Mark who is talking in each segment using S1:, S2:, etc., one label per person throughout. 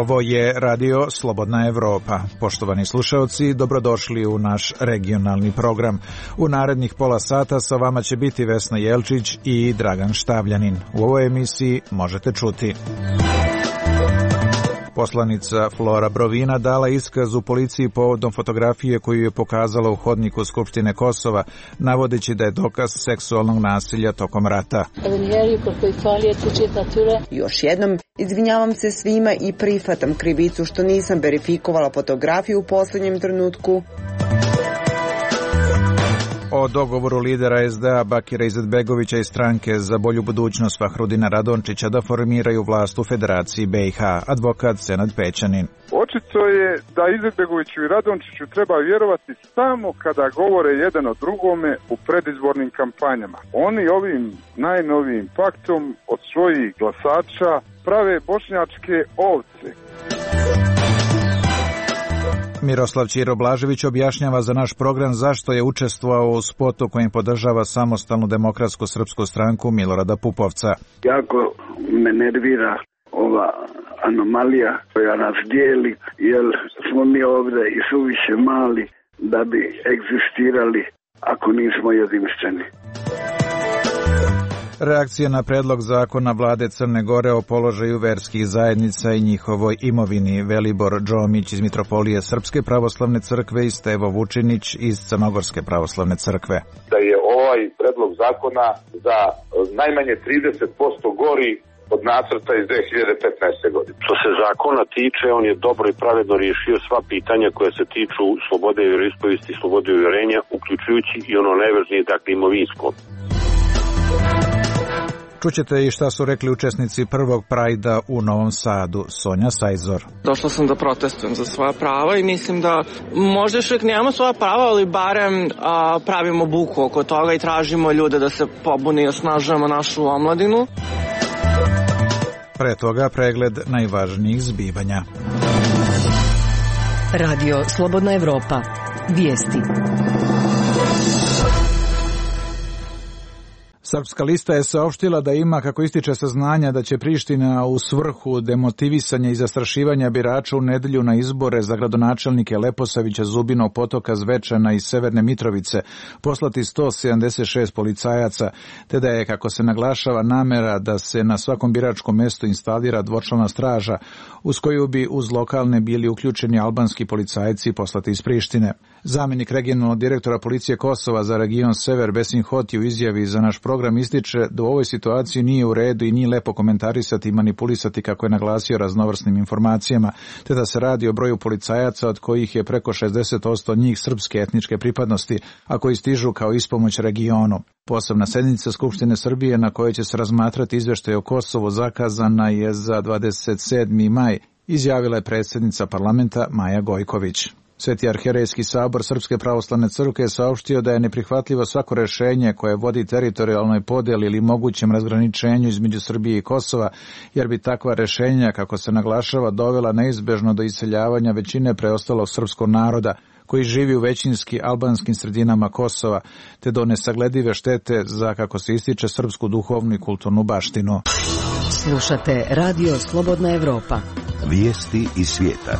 S1: Ovo je Radio Slobodna Evropa. Poštovani slušaoci, dobrodošli u naš regionalni program. U narednih pola sata sa vama će biti Vesna Jelčić i Dragan Štavljanin. U ovoj emisiji možete čuti: poslanica Flora Brovina dala iskaz u policiji povodom fotografije koju je pokazala u hodniku Skupštine Kosova, navodeći da je dokaz seksualnog nasilja tokom rata.
S2: Još jednom, izvinjavam se svima i prihvatam krivicu što nisam verifikovala fotografiju u posljednjem trenutku.
S1: O dogovoru lidera SDA Bakira Izetbegovića i stranke za bolju budućnost Fahrudina Radončića da formiraju vlast u Federaciji BiH, advokat Senad Pećanin.
S3: Očito je da Izetbegoviću i Radončiću treba vjerovati samo kada govore jedan o drugome u predizbornim kampanjama. Oni ovim najnovijim paktom od svojih glasača prave bošnjačke ovce.
S1: Miroslav Ćiro Blažević objašnjava za naš program zašto je učestvovao u spotu kojim podržava samostalnu demokratsku srpsku stranku Milorada Pupovca.
S4: Jako me nervira ova anomalija koja nas dijeli, jer smo mi ovdje i suviše mali da bi egzistirali ako nismo jedinstveni.
S1: Reakcija na predlog zakona vlade Crne Gore o položaju verskih zajednica i njihovoj imovini. Velibor Džomić iz Mitropolije Srpske pravoslavne crkve i Stevo Vučinić iz Crnogorske pravoslavne crkve.
S5: Da je ovaj predlog zakona za najmanje 30% gori od nacrta iz 2015. godine.
S6: Što se zakona tiče, on je dobro i pravedno riješio sva pitanja koje se tiču slobode vjeroispovesti i slobode uvjerenja, uključujući i ono najvažnije, dakle, imovinsko.
S1: Čućete i šta su rekli učesnici prvog Prajda u Novom Sadu. Sonja Sajzor.
S7: Došla sam da protestujem za svoja prava i mislim da možda još uvijek nemamo svoja prava, ali barem pravimo buku oko toga i tražimo ljude da se pobune i osnažujemo našu omladinu.
S1: Pre toga pregled najvažnijih zbivanja.
S8: Radio Slobodna Evropa. Vijesti.
S1: Srpska lista je saopštila da ima, kako ističe, saznanja da će Priština u svrhu demotivisanja i zastrašivanja birača u nedelju na izbore za gradonačelnike Leposavića, Zubinog Potoka, Zvečana i Severne Mitrovice poslati 176 policajaca, te da je, kako se naglašava, namera da se na svakom biračkom mestu instalira dvočlana straža, uz koju bi uz lokalne bili uključeni albanski policajci poslati iz Prištine. Zamjenik regionalnog direktora policije Kosova za region Sever Besim Hoti u izjavi za naš program ističe da u ovoj situaciji nije u redu i nije lepo komentarisati i manipulisati, kako je naglasio, raznovrsnim informacijama, te da se radi o broju policajaca od kojih je preko 60% njih srpske etničke pripadnosti, a koji stižu kao ispomoć regionu. Posebna sednica Skupštine Srbije na kojoj će se razmatrati izveštaj o Kosovu zakazana je za 27. maj, izjavila je predsjednica parlamenta Maja Gojković. Sveti arhijerejski sabor Srpske pravoslavne crkve je saopštio da je neprihvatljivo svako rješenje koje vodi teritorijalnoj podjeli ili mogućem razgraničenju između Srbije i Kosova, jer bi takva rješenja, kako se naglašava, dovela neizbežno do iseljavanja većine preostalog srpskog naroda koji živi u većinski albanskim sredinama Kosova, te do nesagledive štete za, kako se ističe, srpsku duhovnu i kulturnu baštinu.
S8: Slušate Radio Slobodna Evropa.
S9: Vijesti iz svijeta.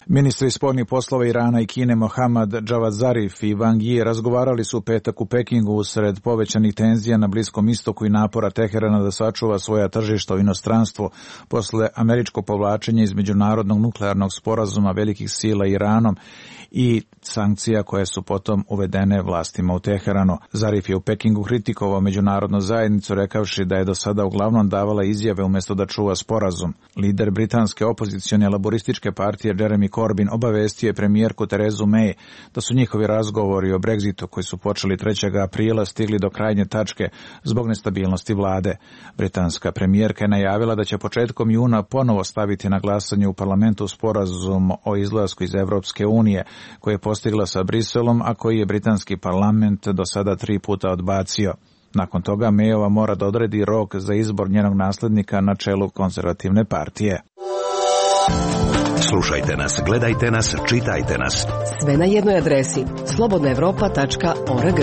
S1: Ministri spoljnih poslova Irana i Kine Mohammad Javad Zarif i Wang Yi razgovarali su u petak u Pekingu usred povećanih tenzija na Bliskom istoku i napora Teherana da sačuva svoja tržišta u inostranstvu posle američkog povlačenja iz međunarodnog nuklearnog sporazuma velikih sila Iranom i sankcija koje su potom uvedene vlastima u Teheranu. Zarif je u Pekingu kritikovao međunarodnu zajednicu rekavši da je do sada uglavnom davala izjave umjesto da čuva sporazum. Lider britanske opozicione laborističke partije Jeremy Corbyn obavestio je premijerku Terezu May da su njihovi razgovori o Brexitu koji su počeli 3. aprila stigli do krajnje tačke zbog nestabilnosti vlade. Britanska premijerka je najavila da će početkom juna ponovo staviti na glasanje u parlamentu sporazum o izlasku iz Evropske unije koji je postigla sa Briselom, a koji je britanski parlament do sada 3 puta odbacio. Nakon toga Mayova mora da odredi rok za izbor njenog naslednika na čelu konzervativne partije.
S9: Slušajte nas, gledajte nas, čitajte nas.
S8: Sve na jednoj adresi slobodnaevropa.org.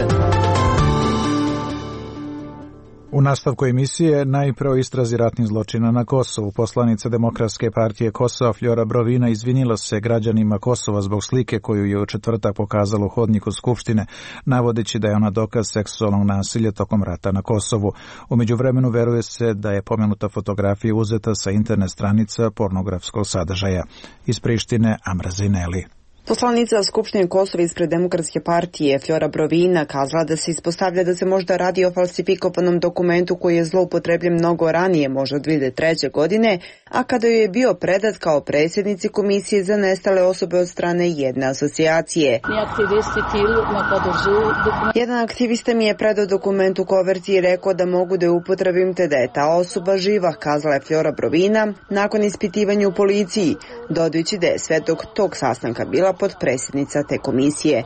S1: U nastavku emisije najpre o istrazi ratnih zločina na Kosovu. Poslanica Demokratske partije Kosova Flora Brovina izvinila se građanima Kosova zbog slike koju je u četvrtak pokazala u hodniku Skupštine, navodeći da je ona dokaz seksualnog nasilja tokom rata na Kosovu. U međuvremenu veruje se da je pomenuta fotografija uzeta sa internet stranica pornografskog sadržaja. Iz Prištine Amra Zineli.
S2: Poslanica Skupštine Kosova ispred Demokratske partije Flora Brovina kazala da se ispostavlja da se možda radi o falsifikovanom dokumentu koji je zloupotrebljen mnogo ranije, možda 2003. godine, a kada joj je bio predat kao predsjednici Komisije za nestale osobe od strane jedne asocijacije. Jedan aktivista mi je predao dokument u koverti i rekao da mogu da je upotrebim te da je ta osoba živa, kazala je Flora Brovina nakon ispitivanja u policiji, dodajući da je sve dok tog sastanka bila potpredsjednica te komisije.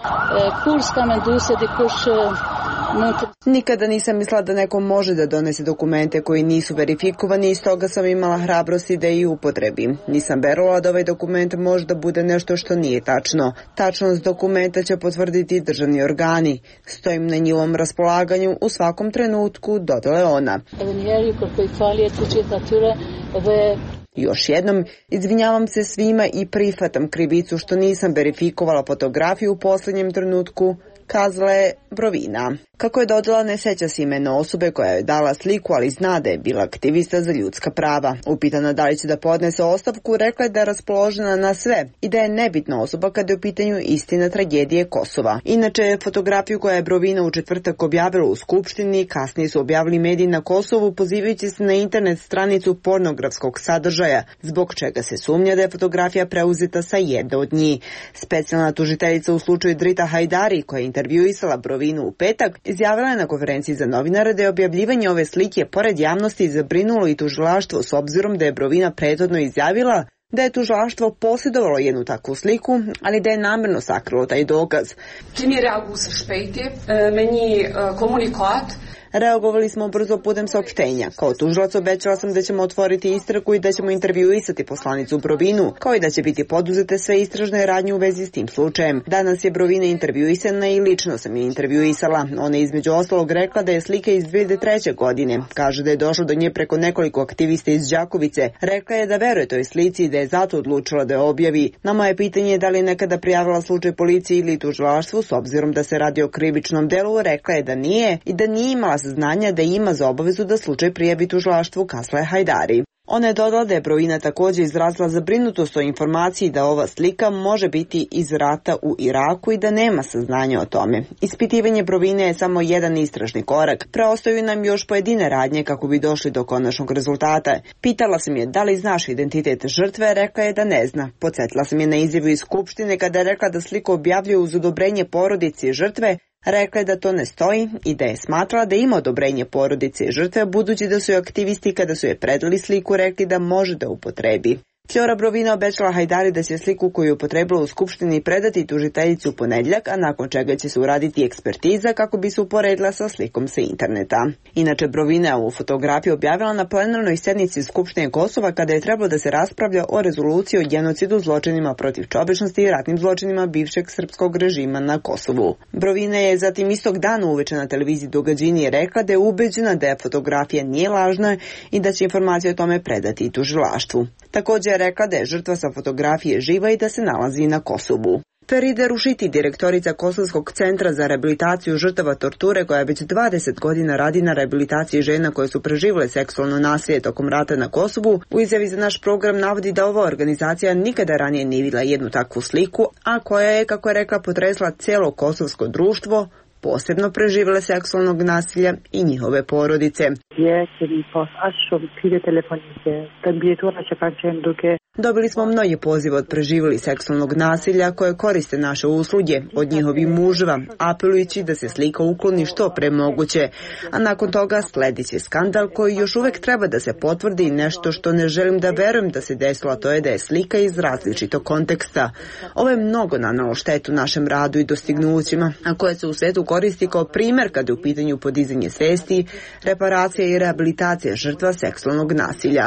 S2: Nikada nisam mislila da neko može da donese dokumente koji nisu verifikovani i stoga sam imala hrabrosti da ih upotrebim. Nisam verovala da ovaj dokument može da bude nešto što nije tačno. Tačnost dokumenta će potvrditi državni organi. Stojim na njihovom raspolaganju u svakom trenutku, dodala je ona. Još jednom, izvinjavam se svima i prihvatam krivicu što nisam verifikovala fotografiju u posljednjem trenutku, kazala je Brovina. Kako je dodala, ne seća se imena osobe koja je dala sliku, ali zna da je bila aktivista za ljudska prava. Upitana da li će da podnese ostavku, rekla je da je raspoložena na sve i da je nebitna osoba kada je u pitanju istina tragedije Kosova. Inače, fotografiju koja je Brovina u četvrtak objavila u Skupštini, kasnije su objavili mediji na Kosovu pozivajući se na internet stranicu pornografskog sadržaja, zbog čega se sumnja da je fotografija preuzeta sa jedne od njih. Specijalna tužiteljica u slučaju Drita Hajdari, koja je intervjuisala Brovinu u petak, izjavila je na konferenciji za novinare da je objavljivanje ove slike pored javnosti zabrinulo i tužilaštvo s obzirom da je Brovina prethodno izjavila da je tužilaštvo posjedovalo jednu takvu sliku, ali da je namerno sakrilo taj dokaz. Reagovali smo brzo putem saopštenja. Kao tužilac obećala sam da ćemo otvoriti istragu i da ćemo intervjuisati poslanicu Brovinu, kao i da će biti poduzete sve istražne radnje u vezi s tim slučajem. Danas je Brovina intervjuisana i lično sam je intervjuisala. Ona je između ostalog rekla da je slika iz 2003. godine. Kaže da je došlo do nje preko nekoliko aktivista iz Đakovice. Rekla je da veruje toj slici i da je zato odlučila da je objavi. Na moje pitanje je da li je nekada prijavila slučaj policiji ili tužilaštvu, s obzirom da se radi o krivičnom delu, rekla je da nije i da nije imala saznanja da ima za obavezu da slučaj prijavi tužilaštvu, kazala je Hajdari. Ona je dodala da je Brovina također izrazila zabrinutost o informaciji da ova slika može biti iz rata u Iraku i da nema saznanja o tome. Ispitivanje Brovine je samo jedan istražni korak. Preostaju nam još pojedine radnje kako bi došli do konačnog rezultata. Pitala sam je da li znaš identitet žrtve, rekla je da ne zna. Podsjetila sam je na izjavu iz Skupštine kada je rekla da sliku objavljuje uz odobrenje porodice žrtve. Rekla je da to ne stoji i da je smatrala da ima odobrenje porodice žrtve, budući da su joj aktivisti kada su je predali sliku rekli da može da upotrebi. Flora Brovina obećala Hajdari da će sliku koju je upotrebila u Skupštini predati tužiteljici u ponedjeljak, a nakon čega će se uraditi ekspertiza kako bi se uporedila sa slikom sa interneta. Inače, Brovina je ovu fotografiju objavila na plenarnoj sjednici Skupštine Kosova kada je trebalo da se raspravlja o rezoluciji o genocidu, zločinima protiv čovječnosti i ratnim zločinima bivšeg srpskog režima na Kosovu. Brovina je zatim istog dana uveče na televiziji Događini rekla da je ubeđena da je fotografija nije lažna i da će informacije o tome predati i tužilaštvu. Također je rekla da je žrtva sa fotografije živa i da se nalazi na Kosovu. Feride Rušiti, direktorica Kosovskog centra za rehabilitaciju žrtava torture, koja već 20 godina radi na rehabilitaciji žena koje su preživjele seksualno nasilje tokom rata na Kosovu, u izjavi za naš program navodi da ova organizacija nikada ranije nije vidjela jednu takvu sliku, a koja je, kako je rekla, potresla cijelo kosovsko društvo, posebno preživjele seksualnog nasilja i njihove porodice. Dobili smo mnoge pozive od preživjeli seksualnog nasilja koje koriste naše usluge od njihovih muževa, apelujući da se slika ukloni što pre moguće. A nakon toga sledit će skandal koji još uvijek treba da se potvrdi i nešto što ne želim da verujem da se desilo, a to je da je slika iz različitog konteksta. Ovo je mnogo nanalo štetu našem radu i dostignućima, a koje se u svetu koristi kao primer kada je u pitanju podizanje svesti, reparacija i rehabilitacija žrtva seksualnog nasilja.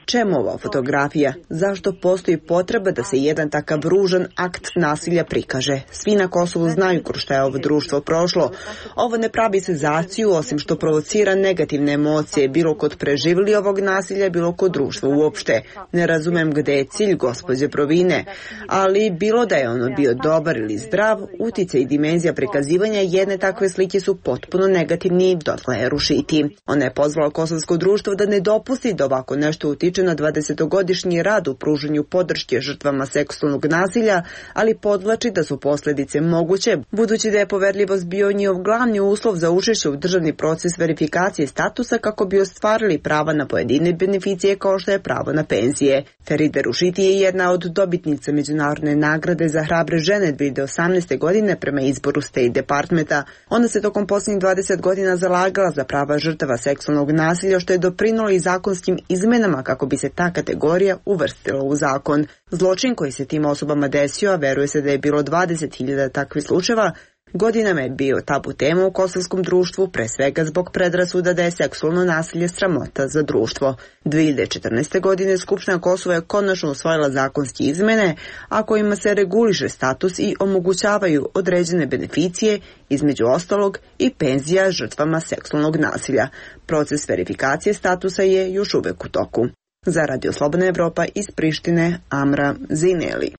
S2: Čemu ova fotografija? Zašto postoji potreba da se jedan takav ružan akt nasilja prikaže? Svi na Kosovu znaju kroz šta je ovo društvo prošlo. Ovo ne pravi senzaciju, osim što provocira negativne emocije, bilo kod preživjeli ovog nasilja, bilo kod društva uopšte. Ne razumem gde je cilj gospođe Provine, ali bilo da je ono bio dobar ili zdrav, utjecaj i dimenzija prikazivanja jedne takve slike su potpuno negativni, dotle je rušiti. Ona je pozvala kosovsko društvo da ne dopusti da ovako nešto utiče na 20-godišnji rad u pružanju podrške žrtvama seksualnog nasilja, ali podvlači da su posljedice moguće, budući da je poverljivost bio njihov glavni uslov za učešće u državni proces verifikacije statusa kako bi ostvarili prava na pojedine beneficije kao što je pravo na penzije. Feride Rušiti je jedna od dobitnica međunarodne nagrade za hrabre žene 2018. godine prema izboru State Departmenta. Ona se tokom posljednjih 20 godina zalagala za prava žrtava seksualnog nasilja, što je doprinijelo i zakonskim izmenama kako bi se ta kategorija uvrstila u zakon. Zločin koji se tim osobama desio, a veruje se da je bilo 20.000 takvih slučajeva, godinama je bio tabu tema u kosovskom društvu, pre svega zbog predrasuda da je seksualno nasilje sramota za društvo. 2014. godine Skupština Kosova je konačno usvojila zakonske izmene, a kojima se reguliše status i omogućavaju određene beneficije, između ostalog i penzija žrtvama seksualnog nasilja. Proces verifikacije statusa je još uvek u toku. Za Radio Slobodna Evropa iz Prištine, Amra Zineli.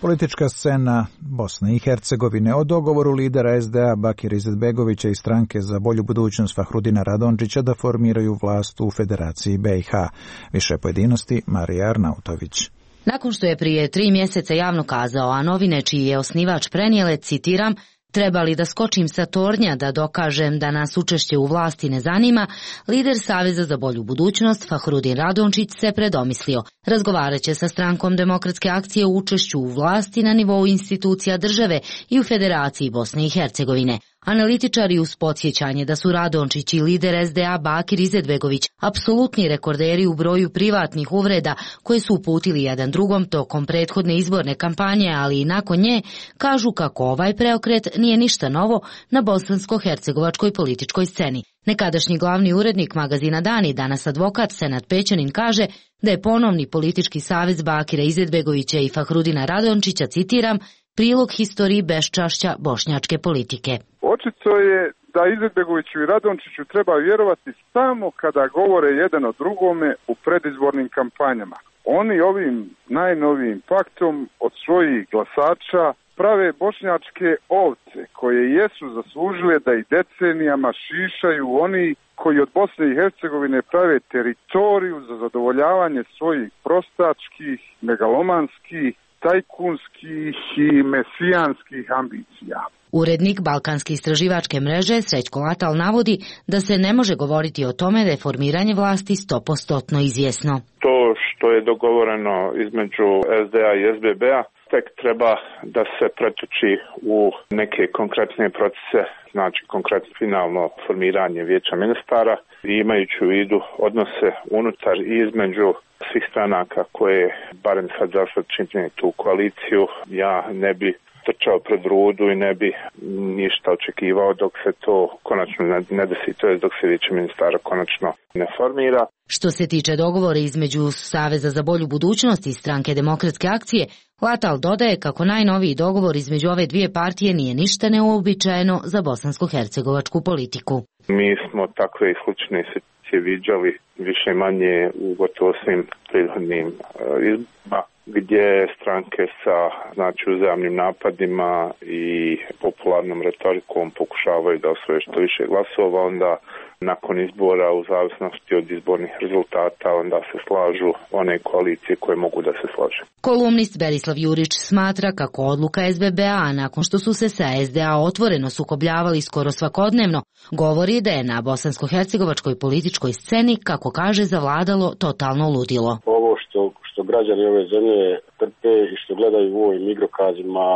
S1: Politička scena Bosne i Hercegovine o dogovoru lidera SDA Bakira Izetbegovića i stranke za bolju budućnost Fahrudina Radončića da formiraju vlast u Federaciji BiH. Više pojedinosti Marija Arnautović.
S10: Nakon što je prije 3 mjeseca javno kazao, a novine čiji je osnivač prenijele, citiram, treba li da skočim sa tornja da dokažem da nas učešće u vlasti ne zanima, lider Saveza za bolju budućnost Fahrudin Radončić se predomislio. Razgovarat će sa strankom Demokratske akcije u učešću u vlasti na nivou institucija države i u Federaciji Bosne i Hercegovine. Analitičari uz podsjećanje da su Radončić i lider SDA Bakir Izetbegović apsolutni rekorderi u broju privatnih uvreda koje su uputili jedan drugom tokom prethodne izborne kampanje, ali i nakon nje, kažu kako ovaj preokret nije ništa novo na bosansko-hercegovačkoj političkoj sceni. Nekadašnji glavni urednik magazina Dani, danas advokat Senad Pećanin, kaže da je ponovni politički savez Bakira Izetbegovića i Fahrudina Radončića, citiram, prilog historiji beščašća bošnjačke politike.
S3: Očito je da Izetbegoviću i Radončiću treba vjerovati samo kada govore jedan o drugome u predizbornim kampanjama. Oni ovim najnovijim paktom od svojih glasača prave bošnjačke ovce koje jesu zaslužile da i decenijama šišaju oni koji od Bosne i Hercegovine prave teritoriju za zadovoljavanje svojih prostačkih, megalomanskih, tajkunskih i mesijanskih ambicija.
S10: Urednik Balkanske istraživačke mreže Srećko Latal navodi da se ne može govoriti o tome da je formiranje vlasti 100% izvjesno.
S6: To što je dogovoreno između SDA i SBB-a tek treba da se pretoči u neke konkretne procese, znači konkretno finalno formiranje vijeća ministara, i imajući u vidu odnose unutar i između svih stranaka koje barem sad za sad čine tu koaliciju, ja ne bi trčao pred rudu i ne bi ništa očekivao dok se to konačno ne desi, to je dok se vijeće ministara konačno ne formira.
S10: Što se tiče dogovora između Saveza za bolju budućnost i stranke Demokratske akcije, Latal dodaje kako najnoviji dogovor između ove dvije partije nije ništa neuobičajeno za bosansko-hercegovačku politiku.
S6: Mi smo takve i slične situacije viđali više manje u gotovo svim prethodnim izborima, gdje stranke sa uzajamnim napadima i popularnom retorikom pokušavaju da osvoje što više glasova, onda nakon izbora u zavisnosti od izbornih rezultata onda se slažu one koalicije koje mogu da se slažu.
S10: Kolumnist Berislav Jurić smatra kako odluka SBB-a, nakon što su se sa SDA otvoreno sukobljavali skoro svakodnevno, govori da je na bosansko-hercegovačkoj političkoj sceni, kako kaže, zavladalo totalno ludilo.
S11: Ovo što građani ove zemlje trpe i što gledaju u ovim igrokazima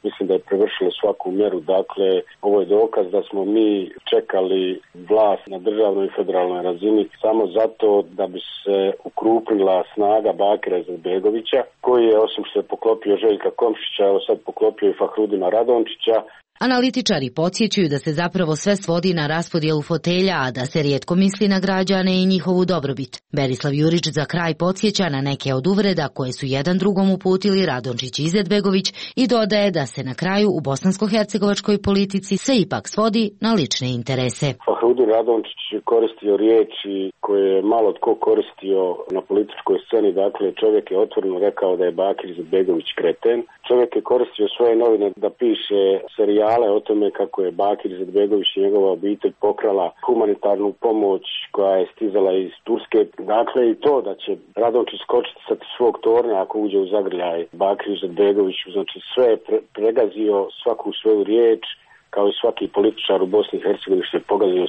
S11: mislim da je prevršilo svaku mjeru. Dakle, ovo je dokaz da smo mi čekali vlast na državnoj i federalnoj razini samo zato da bi se ukrupnila snaga Bakira Izetbegovića, koji je, osim što je poklopio Željka Komšića, evo sad poklopio i Fahrudina Radončića.
S10: Analitičari podsjećaju da se zapravo sve svodi na raspodjelu fotelja, a da se rijetko misli na građane i njihovu dobrobit. Berislav Jurić za kraj podsjeća na neke od uvreda koje su jedan drugom uputili Radončić i Izetbegović i dodaje da se na kraju u bosansko-hercegovačkoj politici sve ipak svodi na lične interese.
S11: Fahrudin Radončić je koristio riječi koje je malo tko koristio na političkoj sceni. Dakle, čovjek je otvoreno rekao da je Bakir Izetbegović kreten. Čovjek je koristio svoje novine da piše serijale o tome kako je Bakir Izetbegović i njegova obitelj pokrala humanitarnu pomoć koja je stizala iz Turske. Dakle, i to da će Radončić skočiti sa svog tornja ako uđe u zagrljaj Bakir Izetbegoviću. Znači, sve je pregazio svaku svoju riječ, kao i svaki političar u Bosni i Hercegovini što je pogazio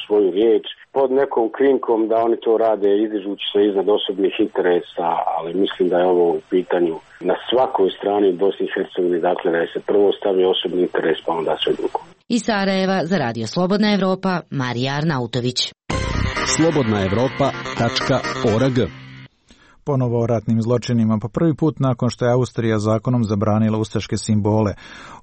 S11: svoju riječ pod nekom krinkom da oni to rade izdižući se iznad osobnih interesa, ali mislim da je ovo u pitanju na svakoj strani u Bosni i Hercegovini, dakle da je se prvo stavio osobni interes pa onda sve drugo.
S10: Iz Sarajeva za Radio Slobodna Evropa, Marija Arnautović.
S12: slobodnaevropa.org.
S1: Ponovo o ratnim zločinima. Po prvi put nakon što je Austrija zakonom zabranila ustaške simbole.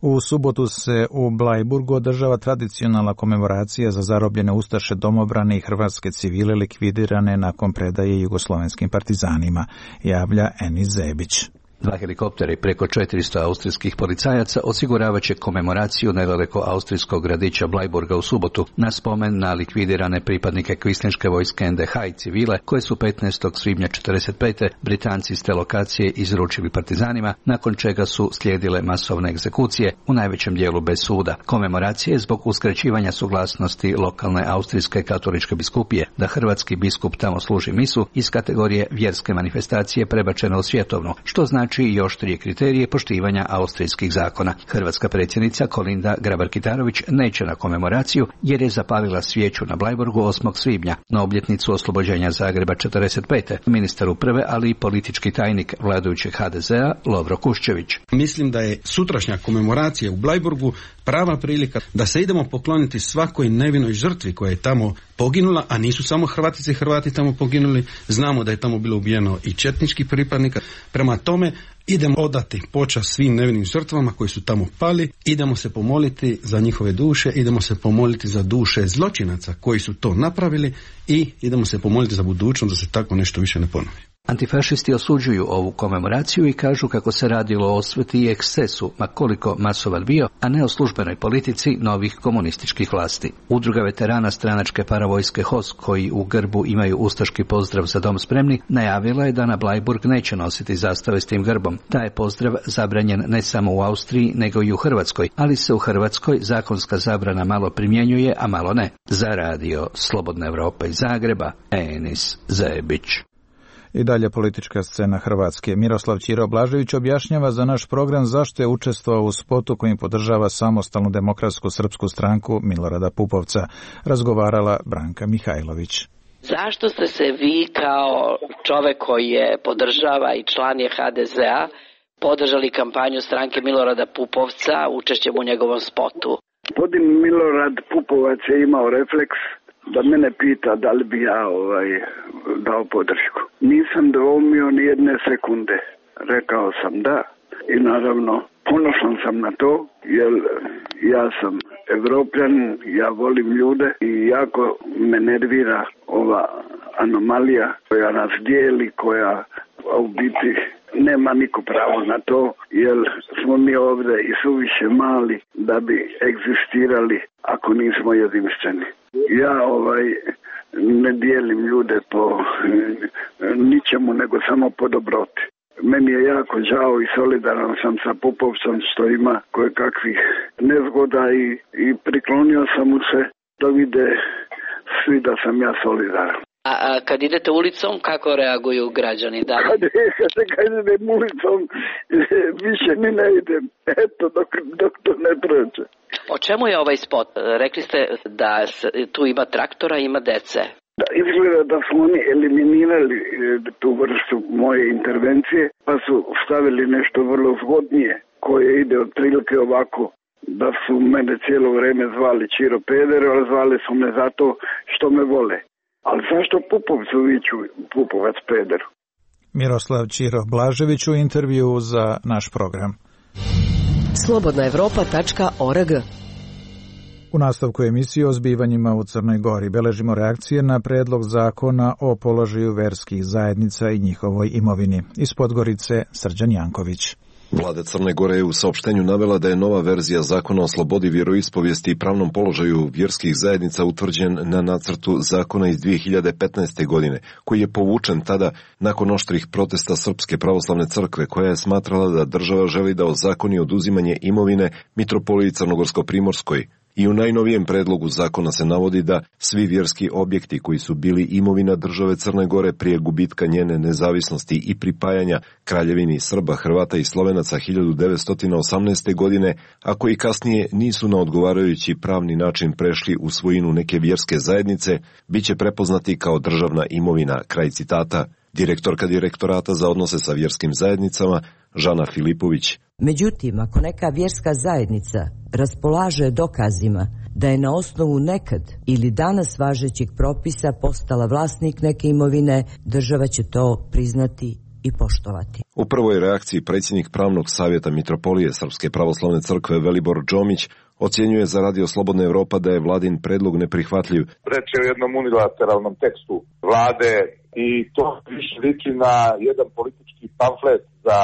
S1: U subotu se u Blajburgu održava tradicionalna komemoracija za zarobljene ustaše, domobrane i hrvatske civile likvidirane nakon predaje jugoslovenskim partizanima, javlja Enis Zebić.
S12: 2 helikoptera i preko 400 austrijskih policajaca osiguravat će komemoraciju nedaleko austrijskog gradića Blajburga u subotu na spomen na likvidirane pripadnike kvislinške vojske NDH i civile koje su 15. svibnja 1945. Britanci s te lokacije izručili partizanima, nakon čega su slijedile masovne egzekucije, u najvećem dijelu bez suda. Komemoracija je zbog uskraćivanja suglasnosti lokalne austrijske katoličke biskupije da hrvatski biskup tamo služi misu iz kategorije vjerske manifestacije prebačeno u svjetovnu, što znači i oštrije kriterije poštivanja austrijskih zakona. Hrvatska predsjednica Kolinda Grabar-Kitarović neće na komemoraciju jer je zapalila svijeću na Blajburgu 8. svibnja, na obljetnicu oslobođenja Zagreba 1945. Ministar uprave, ali i politički tajnik vladajućeg HDZ-a Lovro Kuščević.
S13: Mislim da je sutrašnja komemoracija u Blajburgu prava prilika da se idemo pokloniti svakoj nevinoj žrtvi koja je tamo poginula, a nisu samo Hrvatice i Hrvati tamo poginuli, znamo da je tamo bilo ubijeno i četničkih pripadnika. Prema tome, idemo odati počast svim nevinim žrtvama koji su tamo pali, idemo se pomoliti za njihove duše, idemo se pomoliti za duše zločinaca koji su to napravili i idemo se pomoliti za budućnost da se tako nešto više ne ponovi.
S12: Antifašisti osuđuju ovu komemoraciju i kažu kako se radilo o osveti i ekscesu, ma koliko masovan bio, a ne o službenoj politici novih komunističkih vlasti. Udruga veterana stranačke paravojske HOS, koji u grbu imaju ustaški pozdrav za dom spremni, najavila je da na Blajburg neće nositi zastave s tim grbom. Taj je pozdrav zabranjen ne samo u Austriji, nego i u Hrvatskoj, ali se u Hrvatskoj zakonska zabrana malo primjenjuje, a malo ne. Za Radio Slobodna Evropa iz Zagreba, Enis Zebić.
S1: I dalje politička scena Hrvatske. Miroslav Ćiro Blažević objašnjava za naš program zašto je učestvovao u spotu kojim podržava samostalnu demokratsku srpsku stranku Milorada Pupovca. Razgovarala Branka Mihajlović.
S14: Zašto ste se vi kao čovek koji je podržava i član je HDZ-a podržali kampanju stranke Milorada Pupovca učešćem u njegovom spotu?
S4: Gospodin Milorad Pupovac je imao refleks da mene pita da li bi ja dao podršku. Nisam dvoumio ni jedne sekunde. Rekao sam da i naravno ponosan sam na to jer ja sam Evropljanin, ja volim ljude i jako me nervira ova anomalija koja nas dijeli, koja u biti nema niko pravo na to jer smo mi ovdje i suviše mali da bi egzistirali ako nismo jedinstveni. Ja ne dijelim ljude po ničemu nego samo po dobroti. Meni je jako žao i solidaran sam sa Pupovcem što ima koje kakvih nezgoda i priklonio sam mu se da vide svi da sam ja solidaran.
S14: A kad idete ulicom, kako reaguju građani? Da?
S4: Kad idem ulicom, više ni ne idem. Eto, dok to ne prođe.
S14: O čemu je ovaj spot? Rekli ste da tu ima traktora, ima dece.
S4: Da, izgleda da su oni eliminirali tu vrstu moje intervencije, pa su stavili nešto vrlo zgodnije, koje ide otprilike ovako, da su mene cijelo vrijeme zvali Čiro Peder, ali zvali su me zato što me vole. Ali zašto Pupovcu viču Pupovac Peder?
S1: Miroslav Čiro Blažević u intervju za naš program.
S8: slobodnaevropa.org.
S1: U nastavku emisije o zbivanjima u Crnoj Gori beležimo reakcije na predlog zakona o položaju verskih zajednica i njihovoj imovini. Iz Podgorice Srđan Janković.
S15: Vlada Crne Gore je u saopštenju navela da je nova verzija zakona o slobodi vjeroispovijesti i pravnom položaju vjerskih zajednica utvrđen na nacrtu zakona iz 2015. godine, koji je povučen tada nakon oštrih protesta Srpske pravoslavne crkve, koja je smatrala da država želi da ozakoni oduzimanje imovine mitropoliji Crnogorsko-Primorskoj. I u najnovijem predlogu zakona se navodi da svi vjerski objekti koji su bili imovina države Crne Gore prije gubitka njene nezavisnosti i pripajanja Kraljevini Srba, Hrvata i Slovenaca 1918. godine, a koji kasnije nisu na odgovarajući pravni način prešli u svojinu neke vjerske zajednice, bit će prepoznati kao državna imovina, kraj citata. Direktorka Direktorata za odnose sa vjerskim zajednicama, Žana Filipović.
S16: Međutim, ako neka vjerska zajednica raspolaže dokazima da je na osnovu nekad ili danas važećih propisa postala vlasnik neke imovine, država će to priznati i poštovati.
S15: U prvoj reakciji predsjednik Pravnog savjeta Mitropolije Srpske pravoslavne crkve Velibor Džomić ocjenjuje za Radio Slobodna Evropa da je vladin predlog neprihvatljiv.
S5: Reč je o jednom unilateralnom tekstu vlade i to više liči na jedan politički pamflet za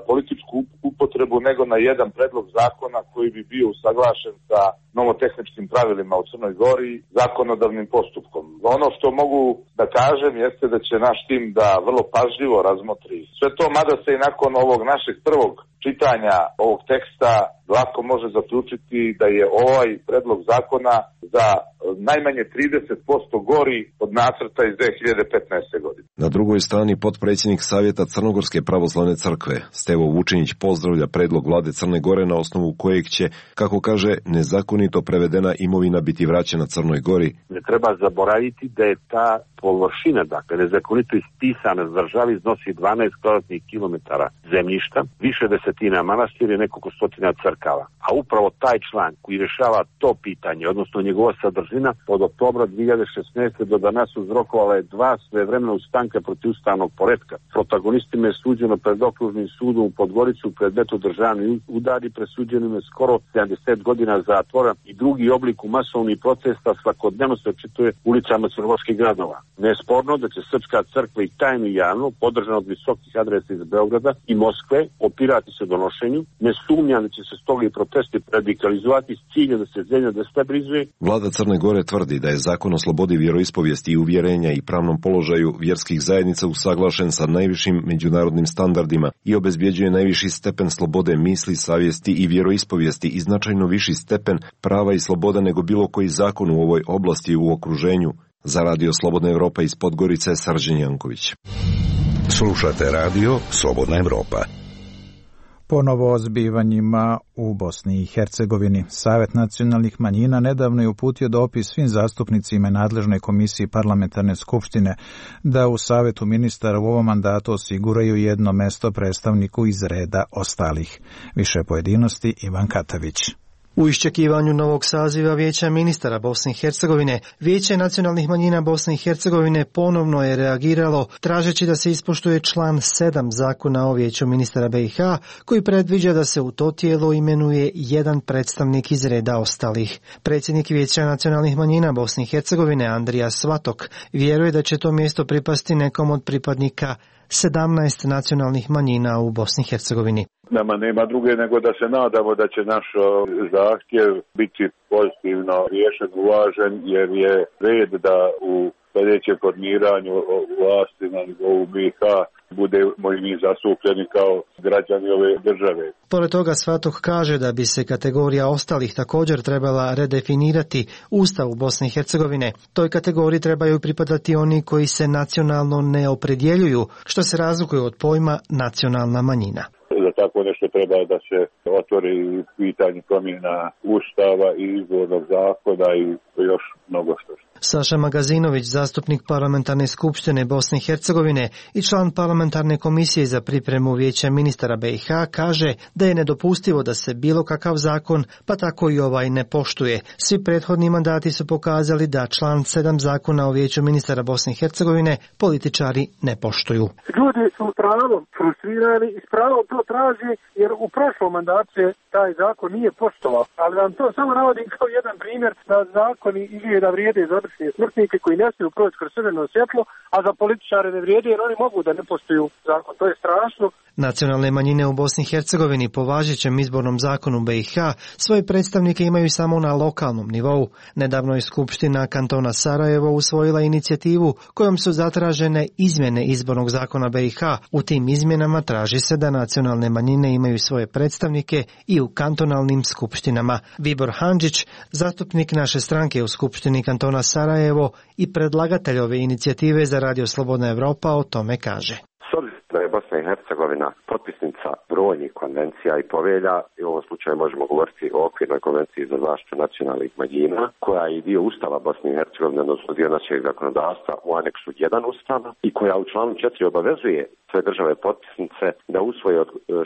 S5: političku upotrebu nego na jedan predlog zakona koji bi bio usaglašen sa nomotehničkim pravilima u Crnoj Gori zakonodavnim postupkom. Ono što mogu da kažem jeste da će naš tim da vrlo pažljivo razmotri sve to, mada se i nakon ovog našeg prvog čitanja ovog teksta lako može zaključiti da je ovaj predlog zakona za najmanje 30% gori od nacrta iz 2015. godine.
S15: Na drugoj strani potpredsjednik Savjeta Crnogorske pravoslavne crkve Stevo Vučinić pozdravlja predlog vlade Crne Gore na osnovu kojeg će, kako kaže, nezakonito prevedena imovina biti vraćena Crnoj Gori.
S17: Ne treba zaboraviti da je ta površina, dakle nezakonito ispisana s državi, iznosi 12 kvadratnih kilometara zemljišta, više desetina manastira i nekoliko stotina crkava. A upravo taj član koji rješava to pitanje, odnosno njegova sadržina, od oktobra 2016. do danas uzrokovala je 2 svevremena ustanka protivustavnog poretka. Protagonistima je suđeno pred okružnim sudom u Podgorici u predmetu državni udari, presuđeno je skoro 70 godina zatvora i drugi oblik u masovnih protesta svakodnevno se očituje ulicama crnogorskih gradova. Nesporno da će Srpska crkva i tajno i javno, podržana od visokih adresa iz Beograda i Moskve, opirati se donošenju. Ne sumnjam da će se stoga i protesti radikalizovati s ciljem da se zemlja destabilizuje.
S15: Vlada Crne Gore tvrdi da je zakon o slobodi vjeroispovijesti i uvjerenja i pravnom položaju vjerskih zajednica usaglašen sa najvišim međunarodnim standardima i obezbjeđuje najviši stepen slobode misli, savjesti i vjeroispovijesti i značajno viši stepen prava i sloboda nego bilo koji zakon u ovoj oblasti u okruženju. Za Radio Slobodna Evropa iz Podgorice, Srđan Janković.
S9: Slušate Radio Slobodna Evropa.
S1: Ponovo o zbivanjima u Bosni i Hercegovini. Savet nacionalnih manjina nedavno je uputio dopis svim zastupnicima nadležnoj komisiji parlamentarne skupštine da u Savetu ministara u ovom mandatu osiguraju jedno mesto predstavniku iz reda ostalih. Više pojedinosti Ivan Katavić.
S18: U iščekivanju novog saziva Vijeća ministara Bosne i Hercegovine, Vijeće nacionalnih manjina Bosne i Hercegovine ponovno je reagiralo tražeći da se ispoštuje član 7 zakona o Vijeću ministara BiH, koji predviđa da se u to tijelo imenuje jedan predstavnik iz reda ostalih. Predsjednik Vijeća nacionalnih manjina Bosne i Hercegovine Andrija Svatok vjeruje da će to mjesto pripasti nekom od pripadnika 17 nacionalnih manjina u Bosni i Hercegovini.
S19: Nama nema druge nego da se nadamo da će naš zahtjev biti pozitivno riješen, uvažen, jer je red da u sljedećem formiranju vlasti na nivou BiH budemo i mi zastupljeni kao građani ove države.
S18: Pored toga Svatok kaže da bi se kategorija ostalih također trebala redefinirati u Ustavu Bosne i Hercegovine. Toj kategoriji trebaju pripadati oni koji se nacionalno ne opredjeljuju, što se razlikuje od pojma nacionalna manjina.
S19: Za tako nešto treba da se otvori pitanje promjena ustava i izbornog zakona i još mnogo što.
S18: Saša Magazinović, zastupnik Parlamentarne skupštine Bosne i Hercegovine i član Parlamentarne komisije za pripremu Vijeća ministara BiH, kaže da je nedopustivo da se bilo kakav zakon, pa tako i ovaj, ne poštuje. Svi prethodni mandati su pokazali da član 7 zakona o Vijeću ministara Bosne i Hercegovine političari ne poštuju.
S20: Ljudi su pravom frustrirani i s pravom to traži, jer u prošlom mandatu se taj zakon nije poštovao. Ali vam to samo navodim kao jedan primjer da zakoni izgleda vrijede za obične smrtnike koji ne smiju proći kroz crveno svjetlo, a za političare ne vrijede jer oni mogu da ne poštuju zakon. To je strašno.
S18: Nacionalne manjine u Bosni i Hercegovini po važećem izbornom zakonu BiH svoje predstavnike imaju samo na lokalnom nivou. Nedavno je Skupština kantona Sarajevo usvojila inicijativu kojom su zatražene izmjene izbornog zakona BiH. U tim izmjenama traži se da nacionalne manjine imaju svoje predstavnike i u kantonalnim skupštinama. Vibor Handžić, zastupnik naše stranke u Skupštini kantona Sarajevo i predlagatelj ove inicijative za Radio Slobodna Evropa, o tome kaže.
S21: Da je Bosna i Hercegovina potpisnica brojnih konvencija i povelja, i u ovom slučaju možemo govoriti o okvirnoj konvenciji za zaštitu nacionalnih manjina, koja je dio Ustava Bosne i Hercegovine, odnosno dio našeg zakonodavstva u aneksu 1 Ustava i koja u članu 4 obavezuje sve države potpisnice da usvoje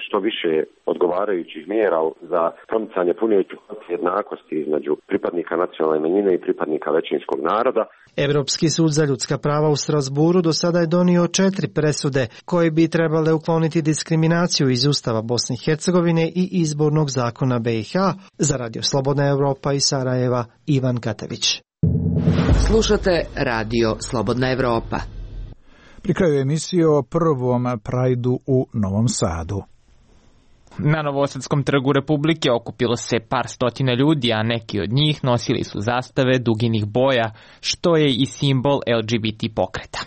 S21: što više odgovarajućih mjera za promicanje pune jednakosti između pripadnika nacionalne manjine i pripadnika većinskog naroda.
S18: Evropski sud za ljudska prava u Strasburu do sada je donio 4 presude koje bi trebale ukloniti diskriminaciju iz Ustava Bosne i Hercegovine i izbornog zakona BiH. Za Radio Slobodna Evropa iz Sarajeva, Ivan Katević.
S8: Slušate Radio Slobodna Evropa.
S1: Pri kraju emisije o prvom Prajdu u Novom Sadu.
S22: Na Novosadskom trgu Republike okupilo se par stotina ljudi, a neki od njih nosili su zastave duginih boja, što je i simbol LGBT pokreta.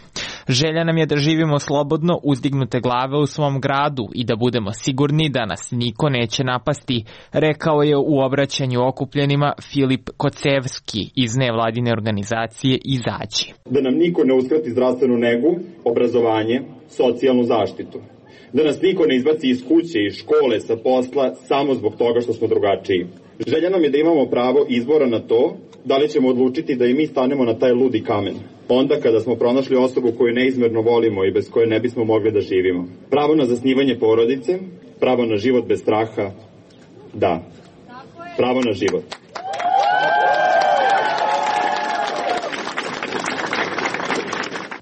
S22: Želja nam je da živimo slobodno, uzdignute glave u svom gradu i da budemo sigurni da nas niko neće napasti, rekao je u obraćanju okupljenima Filip Kocevski iz nevladine organizacije Izađi.
S23: Da nam niko ne uskrati zdravstvenu negu, obrazovanje, socijalnu zaštitu. Da nas niko ne izbaci iz kuće i škole, sa posla, samo zbog toga što smo drugačiji. Želja nam je da imamo pravo izbora na to, da li ćemo odlučiti da i mi stanemo na taj ludi kamen. Onda kada smo pronašli osobu koju neizmjerno volimo i bez koje ne bismo mogli da živimo. Pravo na zasnivanje porodice, pravo na život bez straha, da. Pravo na život.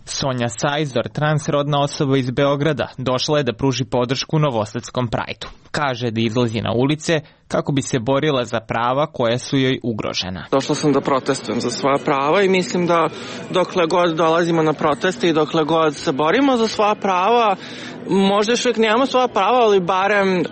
S22: Sonja Sajzor, transrodna osoba iz Beograda, došla je da pruži podršku Novosadskom Prajdu. Kaže da izlazi na ulice kako bi se borila za prava koja su joj ugrožena.
S7: Došla sam da protestujem za svoja prava i mislim da dokle god dolazimo na proteste i dokle god se borimo za svoja prava, možda još uvijek nemamo svoja prava, ali barem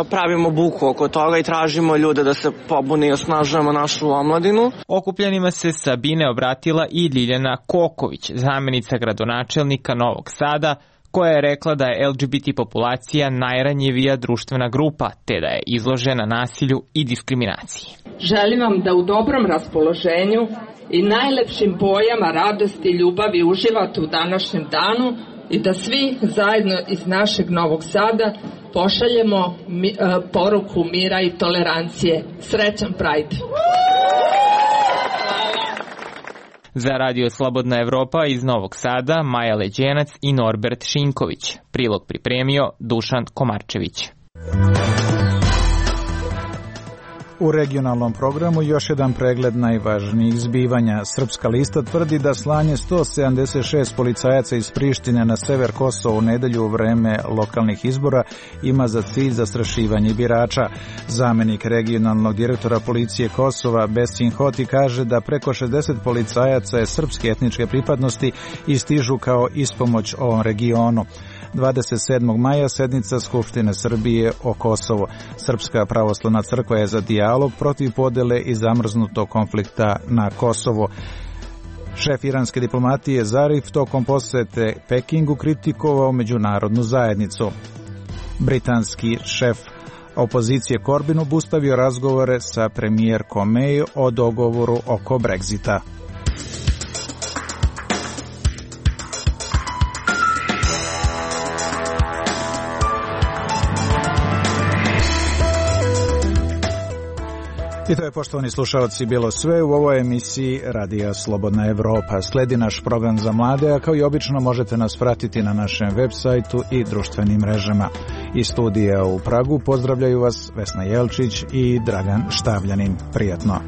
S7: pravimo buku oko toga i tražimo ljude da se pobune i osnažujemo našu omladinu.
S22: Okupljenima se Sabine obratila i Ljiljana Koković, zamjenica gradonačelnika Novog Sada, koja je rekla da je LGBT populacija najranjivija društvena grupa, te da je izložena nasilju i diskriminaciji.
S24: Želim vam da u dobrom raspoloženju i najlepšim bojama radosti i ljubavi uživate u današnjem danu i da svi zajedno iz našeg Novog Sada pošaljemo poruku mira i tolerancije. Srećan Pride!
S22: Za Radio Slobodna Evropa iz Novog Sada, Maja Leđenac i Norbert Šinković. Prilog pripremio Dušan Komarčević.
S1: U regionalnom programu još jedan pregled najvažnijih zbivanja. Srpska lista tvrdi da slanje 176 policajaca iz Prištine na sever Kosova u nedelju u vreme lokalnih izbora ima za cilj zastrašivanje birača. Zamenik regionalnog direktora policije Kosova Besin Hoti kaže da preko 60 policajaca je srpske etničke pripadnosti i stižu kao ispomoć ovom regionu. 27. maja sednica Skupštine Srbije o Kosovu. Srpska pravoslavna crkva je za dijalog protiv podele i zamrznutog konflikta na Kosovu. Šef iranske diplomatije Zarif tokom posete Pekingu kritikovao međunarodnu zajednicu. Britanski šef opozicije Corbyn obustavio razgovore sa premijerkom May o dogovoru oko Brexita. I to je, poštovani slušalci, bilo sve u ovoj emisiji Radija Slobodna Evropa. Sledi naš program za mlade, a kao i obično možete nas pratiti na našem web sajtu i društvenim mrežama. Iz studija u Pragu pozdravljaju vas Vesna Jelčić i Dragan Štavljanin. Prijatno.